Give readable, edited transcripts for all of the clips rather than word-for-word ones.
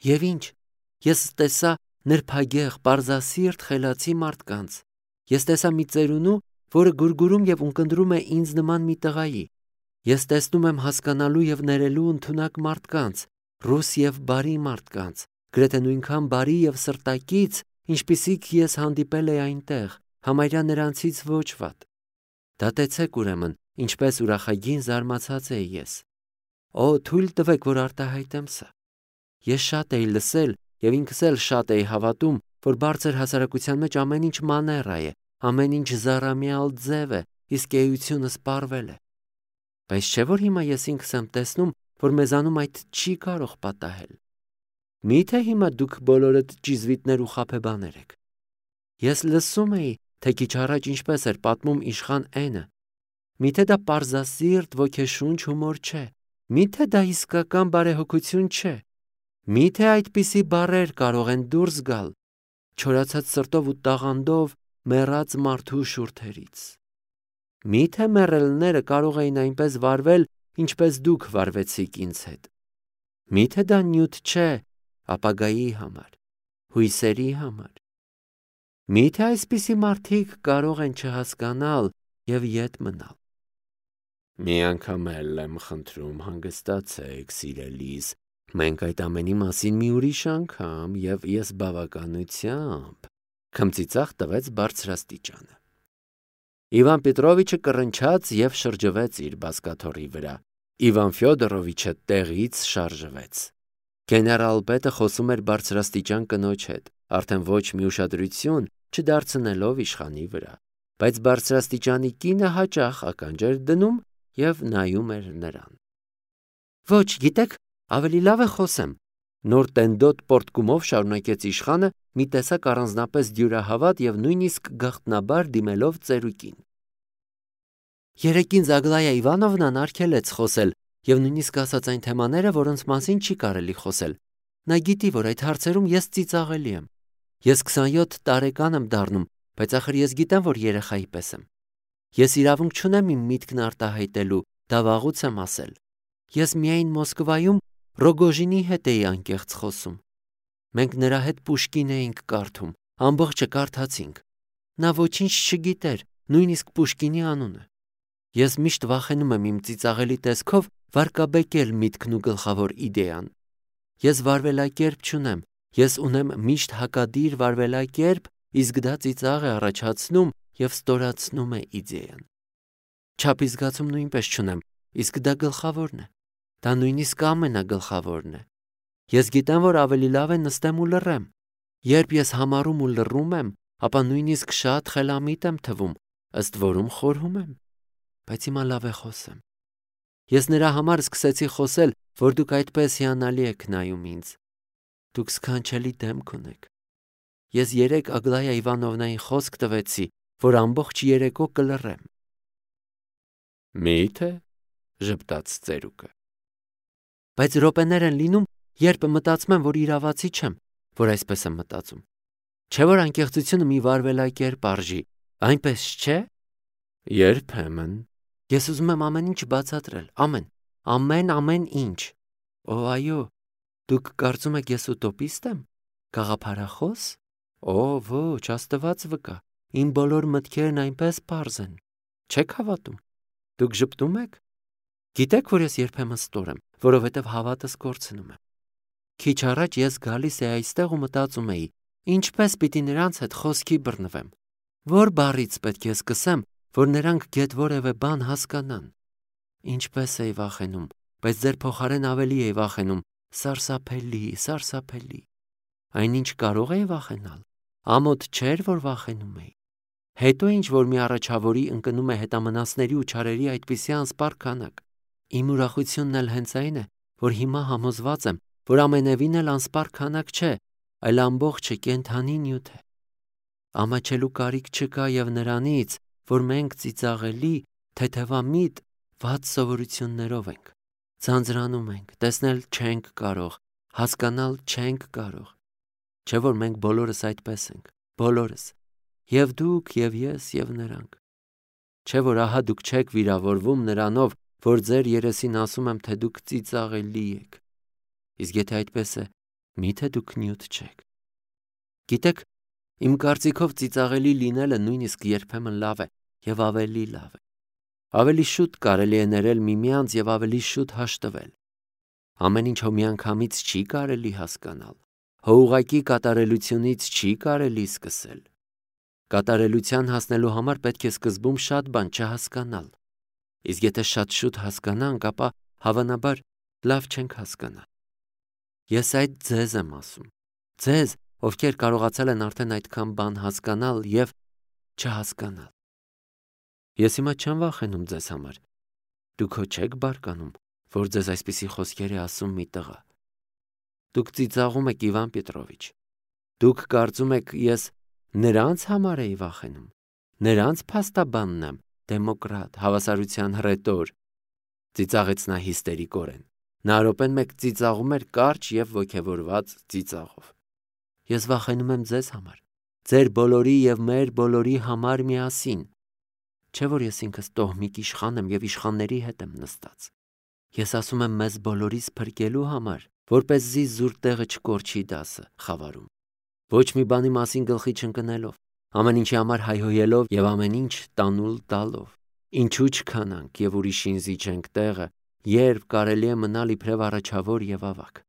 Եվ ինչ, ես տեսա նրբագեղ, պարզասիրտ խելացի մարդկանց։ Ես տեսա մի ծերունու, որը գուրգուրում եւ ունկնդրում է ինձ նման մի տղայի։ Ես տեսնում եմ հասկանալու եւ ներելու ընդունակ մարդկանց, ռուս եւ բարի մարդկանց, գրեթե նույնքան բարի եւ սրտակից, ինչպիսիք ես հանդիպել էի այնտեղ, համարյա նրանցից ոչ վատ։ Դատեցեք ուրեմն, ինչպես ուրախագին զարմացած էի ես։ Օ, թույլ տվեք, որ արտահայտեմ սա։ Ես շատ էի լսել եւ ինքս էլ շատ էի հավատում, որ բարձր հասարակության մեջ ամեն ինչ մաներա է, ամեն ինչ զառամյալ ձև է, իսկ էությունը սպառվել է։ Բայց չէ՞ որ հիմա ես ինքս եմ տեսնում, որ մեզանում այդ չի կարող պատահել։ Միթե հիմա դուք բոլորդ ճիզվիտներ ու խաբեբաներ եք։ Ես լսում էի, թե քիչ առաջ ինչպես էր պատմում իշխան N-ը։ Միթե դա պարզասիրտ ոգեշունչ հումոր չէ։ Միթե դա իսկական բարեհոգություն չէ։ Միթե այդպիսի բառեր կարող են դուրս գալ չորացած սրտով ու տաղանդով մեռած մարդու շուրթերից։ Միթե մեռելները կարող էին այնպես վարվել, ինչպես դուք վարվեցիք ինձ հետ։ Միթե դա նյութ չէ ապագայի համար, հույսերի համար։ Միթե այսպիսի մարդիկ կարող են չհասկանալ եւ ետ մնալ։ Մի անգամ էլ եմ խնդրում, հանգստացեք, սիրելիս, մենք այդ ամենի մասին մի ուրիշ անգամ եւ ես բավականությամբ քմծիծաղ տվեց բարձրաստիճանը։ Իվան Պետրովիչը կռնչաց եւ շրջվեց իր բազկաթոռի վրա։ Իվան Ֆյոդորովիչը տեղից շարժվեց։ Գեներալ պետը խոսում էր բարձրաստիճան կնոջ հետ, արդեն ոչ մի ուշադրություն չդարձնելով իշխանի վրա, բայց բարձրաստիճանի կինը հաճախ ականջ էր դնում եւ նայում էր նրան։ Ոչ, գիտեք, ավելի լավ է խոսեմ, նոր տենդոտ պորտկումով շարունակեց իշխանը, մի տեսակ առանձնապես դյուրահավատ եւ նույնիսկ գաղտնաբար դիմելով ծերուկին։ Երեկին Զագլայա Իվանովնան արգելեց խոսել եւ նույնիսկ ասաց այն թեմաները, որոնց մասին չի կարելի խոսել։ Նա գիտի, որ այդ հարցերում ես ծիծաղելի եմ։ Ես 27 տարեկան եմ դառնում, բայց ախր ես գիտեմ, որ երեխայի պես եմ։ Ես իրավունք չունեմ իմ միտքն արտահայտելու, դա վաղուց եմ ասել։ Ես միայն Մոսկվայում Ռոգոժինի հետ էի անկեղծ խոսում։ Մենք նրա հետ Պուշկին էինք կարդում, ամբողջը կարդացինք։ Նա ոչինչ չգիտեր, նույնիսկ Պուշկինի անունը։ Ես միշտ վախենում եմ իմ ծիծաղելի տեսքով վարկաբեկել միտքն ու գլխավոր իդեան։ Ես վարվելակերպ չունեմ, ես ունեմ միշտ հակադիր վարվելակերպ, իսկ դա ծիծաղ է առաջացնում եւ ստորացնում է իդեան։ Չափի զգացում նույնպես չունեմ, իսկ դա գլխավորն է։ Դա նույնիսկ ամենագլխավորն է։ Ես գիտեմ, որ ավելի լավ է նստեմ ու լռեմ։ Երբ ես համառում ու լռում եմ, ապա նույնիսկ շատ խելամիտ եմ թվում, ըստ որում խորհում եմ։ Բայց հիմա լավ է խոսեմ։ Ես նրա համար սկսեցի խոսել, որ դուք այդպես հիանալի եք նայում ինձ։ Դուք սքանչելի դեմք ունեք։ Ես երեկ Ագլայա Իվանովնային խոսք տվեցի, որ ամբողջ երեկո կլռեմ։ Միթե ժպտաց ծերուկը։ Բայց րոպեներ են լինում, երբ մտածում եմ, որ իրավացի չեմ, որ այսպես եմ մտածում։ Չէ՞ որ անկեղծությունը մի վարվելակերպ արժի, այնպես չէ՞։ Երբեմն ես ուզում եմ ամեն ինչ բացատրել, ամեն ինչ։ Օ, այո, դուք կարծում եք ես ուտոպիստ եմ, գաղափարախոս։ Օ, ոչ, Աստված վկա, իմ բոլոր մտքերն այնպես պարզ են։ Չեք հավատում։ Դուք ժպտում եք։ Գիտեք, որ ես երբեմն ստոր եմ, որովհետև հավատս կորցնում եմ։ Քիչ առաջ ես գալիս էի այստեղ ու մտածում էի, ինչպես պիտի նրանց հետ խոսքի բռնվեմ։ Որ բառից պետք է սկսեմ, որ նրանք գեթ որևէ բան հասկանան։ Ինչպես էի վախենում, բայց ձեր փոխարեն ավելի էի վախենում, սարսափելի։ Այնինչ կարող էի վախենալ։ Ամոթ չէր, որ վախենում էի։ Հետո ինչ որ մի առաջավորի ընկնում է հետամնացների ու չարերի այդպիսի անսպառ քանակ։ Իմ ուրախությունն էլ հենց այն է, որ հիմա համոզված եմ, որ ամենևին էլ անսպառ քանակ չէ, այլ ամբողջը կենդանի նյութ է։ Ամաչելու կարիք չկա եւ նրանից, որ մենք ծիծաղելի, թեթևամիտ, վատ սովորություններով ենք։ Ձանձրանում ենք, տեսնել չենք կարող, հասկանալ չենք կարող։ Չէ՞ որ մենք բոլորս այդպես ենք, բոլորս։ Եվ դուք, եւ ես, եւ նրանք։ Չէ՞ որ ահա դուք չեք վիրավորվում նրանով, որ ձեր երեսին ասում եմ, թե դուք ծիծաղելի եք։ Իսկ եթե այդպես է, Միթե դուք նյութ չեք։ Գիտեք, իմ կարծիքով ծիծաղելի լինելը նույնիսկ երբեմն լավ է եւ ավելի լավ է։ Ավելի շուտ կարելի է ներել միմյանց եւ ավելի շուտ հաշտվել։ Ամեն ինչ հո միանգամից չի կարելի հասկանալ։ Հո ուղղակի կատարելությունից չի կարելի սկսել։ Կատարելության հասնելու համար պետք է սկզբում շատ բան չհասկանալ։ Իսկ եթե շատ շուտ հասկանանք, ապա հավանաբար լավ չենք հասկանա։ Ես այդ ձեզ եմ ասում։ Ձեզ, ովքեր կարողացել են արդեն այդքան բան հասկանալ եւ չհասկանալ։ Ես հիմա չեմ վախենում ձեզ համար։ Դուք հո չեք բարկանում, որ ձեզ այսպիսի խոսքեր է ասում մի տղա։ Դուք ծիծաղում եք Իվան Պետրովիչ։ Դուք կարծում եք ես նրանց համար էի վախենում։ Նրանց փաստաբանն եմ, դեմոկրատ, հավասարության հռետոր։ Ծիծաղեց նա հիստերիկորեն։ Նա րոպեն մեկ ծիծաղում էր կարճ եւ ոգևորված ծիծաղով։ Ես վախենում եմ ձեզ համար, ձեր բոլորի եւ մեր բոլորի համար միասին։ Չէ՞ որ ես ինքս տոհմիկ իշխան եմ եւ իշխանների հետ եմ նստած։ Ես ասում եմ մեզ բոլորիս փրկելու համար, որպեսզի զուր տեղը չկորչի դասը խավարում։ Ոչ մի բանի մասին գլխի չընկնելով, ամեն ինչի համար հայհոյելով եւ ամեն ինչ տանուլ տալով։ Ինչու չքանանք եւ ուրիշին զիջենք տեղը, երբ կարելի է մնալ իբրև առաջավոր եւ ավակ։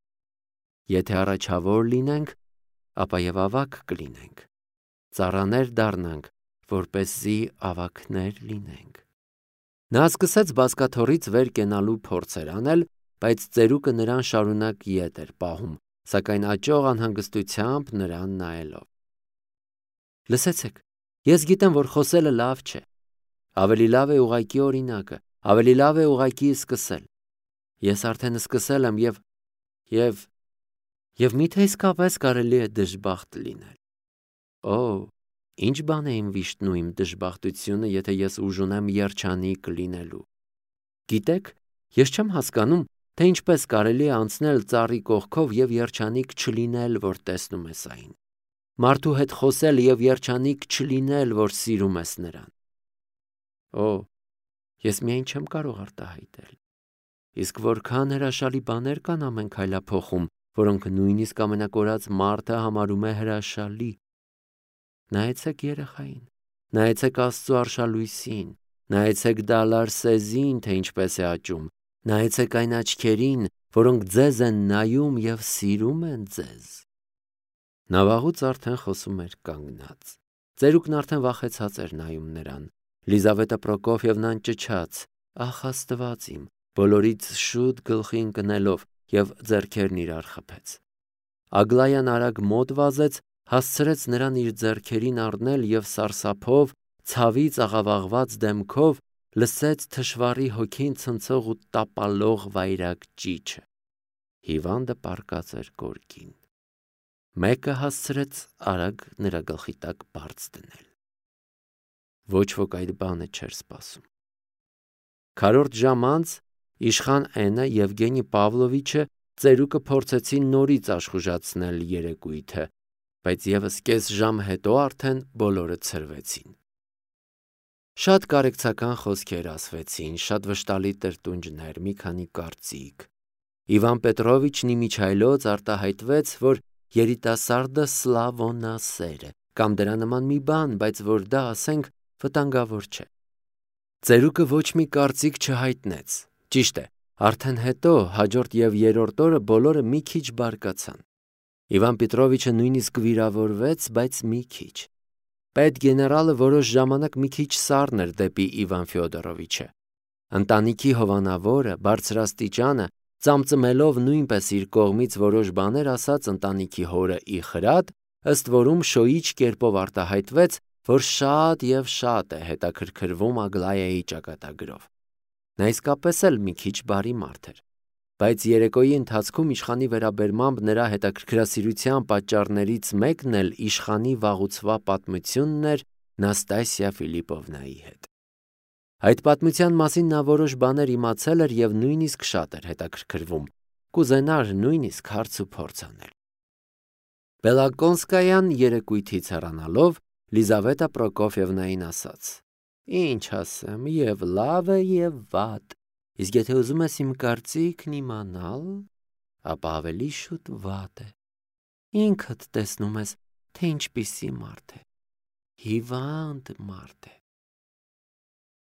Եթե առաջավոր լինենք, ապա եւ ավակ կլինենք։ Ծառաներ դառնանք, որպեսզի ավակներ լինենք։ Նա սկսեց բազկաթոռից վեր կենալու փորձեր անել, բայց ծերուկը նրան շարունակ ետ էր պահում, սակայն աճող անհանգստությամբ նրան նայելով։ Լսեցեք, ես գիտեմ, որ խոսելը լավ չէ։ Ավելի լավ է ուղղակի օրինակը, ավելի լավ է ուղղակի սկսել։ Ես արդեն սկսել եմ եւ միթե իսկապես կարելի է դժբախտ լինել։ Օ, ինչ բան է իմ վիշտն ու իմ դժբախտությունը, եթե ես ուժ ունեմ երջանիկ լինելու։ Գիտեք, ես չեմ հասկանում, թե ինչպես կարելի է անցնել ծառի կողքով եւ երջանիկ չլինել, որ տեսնում ես այն։ Մարդու հետ խոսել եւ երջանիկ չլինել, որ սիրում ես նրան։ Օ, ես միայն չեմ կարող արտահայտել։ Իսկ որքան հրաշալի բաներ կան ամեն քայլափոխում, որոնք նույնիսկ ամենակորած մարդը համարում է հրաշալի։ Նայեցեք երեխային, նայեցեք Աստծո արշալույսին, նայեցեք դալար սեզին, թե ինչպես է աճում, նայեցեք այն աչքերին, որոնք ձեզ են նայում եւ սիրում են ձեզ։ Նա վաղուց արդեն խոսում էր կանգնած։ Ծերուկն արդեն վախեցած էր նայում նրան։ Լիզավետա Պրոկոֆիևնան ճչաց. «Ախ Աստված իմ», բոլորից շուտ գլխի ընկնելով եւ ձեռքերն իրար խփեց։ Ագլայան արագ մոտ վազեց, հասցրեց նրան իր ձեռքերին առնել եւ սարսափով, ցավից աղավաղված դեմքով լսեց թշվառի հոգին ցնցող ու տապալող վայրագ ճիչը։ Հիվանդը պառկած էր գորգին։ Մեկը հասցրեց արագ նրա գլխի տակ բարձ դնել։ Ոչ ոք այդ բանը չէր սպասում։ Քառորդ ժամ անց իշխան Էնը Եվգենի Պավլովիչը ծերուկը փորձեցին նորից աշխուժացնել երեկույթը, բայց եւս կես ժամ հետո արդեն բոլորը ցրվեցին։ Շատ կարեկցական խոսքեր ասվեցին, շատ վշտալի տրտունջներ, մի քանի կարծիք։ Իվան Պետրովիչն իմիջայլոց արտահայտվեց, որ երիտասարդը սլավոնասեր է, կամ դրա նման մի բան, բայց որ դա, ասենք, վտանգավոր չէ։ Ծերուկը ոչ մի կարծիք չհայտնեց։ Ճիշտ է, արդեն հետո, հաջորդ եւ երրորդ օրը բոլորը մի քիչ բարկացան։ Իվան Պետրովիչը նույնիսկ վիրավորվեց, բայց մի քիչ։ Պետգեներալը որոշ ժամանակ մի քիչ սառն էր դեպի Իվան Ֆյոդորովիչը։ Ընտանիքի հովանավորը, բարձրաստիճանը, ծամծմելով նույնպես իր կողմից որոշ բաներ ասաց ընտանիքի հորը Իխրատ, ըստ որում շոյիչ կերպով արտահայտվեց, որ շատ եւ շատ է հետաքրքրվում Ագլայայի ճակատագրով։ Նա իսկապես էլ մի քիչ բարի մարդ էր, բայց երեկոյի ընթացքում իշխանի վերաբերմամբ նրա հետաքրքրասիրության պատճառներից մեկն էլ իշխանի վաղուցվա պատմությունն էր Նաստասիա Ֆիլիպովնայի հետ։ Այդ պատմության մասին նա որոշ բաներ իմացել էր եւ նույնիսկ շատ էր հետաքրքրվում, կուզենար նույնիսկ հարց ու փորձ անել։ Բելակոնսկայան երեկույթից հեռանալով Լիզավետա Պրոկոֆիևնային ասաց. «Ինչ ասեմ, եւ լավ է եւ վատ, իսկ եթե ուզում ես իմ կարծիքն իմանալ, ապա ավելի շուտ վատ է»։ ինքդ տեսնում ես, թե ինչպիսի մարդ է, հիվանդ մարդ է։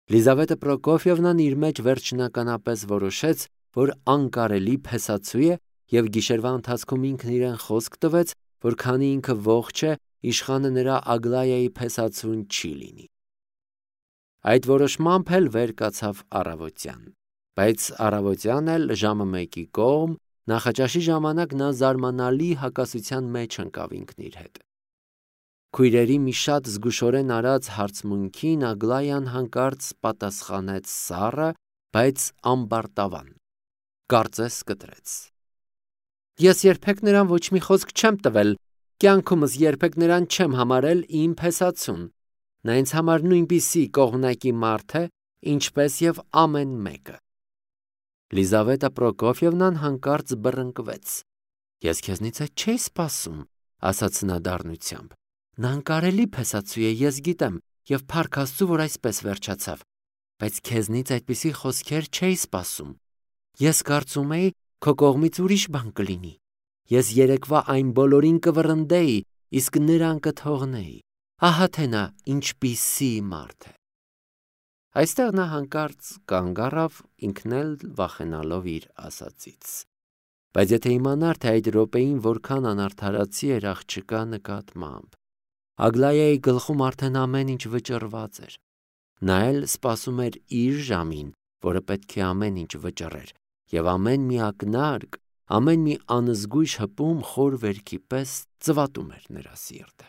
Լիզավետա Պրոկոֆիևնան իր մեջ վերջնականապես որոշեց, որ անկարելի փեսացու է և գիշերվա ընթացքում ինքն իրեն խոսք տվեց, որ քանի ինքը ողջ է, իշխանը նրա Ագլայայի փեսացուն չի լինի։ Այդ որոշմամբ էլ վեր կացավ առավոտյան, բայց առավոտյան էլ ժամը 1-ի կողմ նախաճաշի ժամանակ նա զարմանալի հակասության մեջ ընկավ ինքն իր հետ։ Քույրերի մի շատ զգուշորեն արած հարցմունքին Ագլայան հանկարծ պատասխանեց սառը, բայց ամբարտավան, կարծես կտրեց. Ես երբեք նրան ոչ մի խոսք չեմ տվել, կյանքումս երբեք նրան չեմ համարել իմ փեսացուն, նա ինձ համար նույնպիսի կողմնակի մարդ է, ինչպես և ամեն մեկը։ Լիզավետա Պրոկոֆիևնան հանկարծ բռնկվեց. Ես քեզնից այդ չէի սպասում, ասաց նա դառնությամբ, նա անկարելի փեսացու է, ես գիտեմ, և փառք Աստծու, որ այսպես վերջացավ, բայց քեզնից այդպիսի խոսքեր չէի սպասում, ես կարծում էի, քո կողմից ուրիշ բան կլինի, ես երեկվա այն բոլորին կվռնդեի, իսկ նրան կթողնեի, ահա թե նա ինչպիսի մարդ է։ Այստեղ նա հանկարծ կանգ առավ, ինքն էլ վախենալով իր ասածից։ Բայց եթե իմանար, թե այդ րոպեին որքան անարդարացի էր աղջկա նկատմամբ, Ագլայայի գլխում արդեն ամեն ինչ վճռված էր։ Նա էլ սպասում էր իր ժամին, որը պետք է ամեն ինչ վճռեր, և ամեն մի ակնարկ, ամեն մի անզգույշ հպում խոր վերքի պես ծվատում էր նրա սիրտը։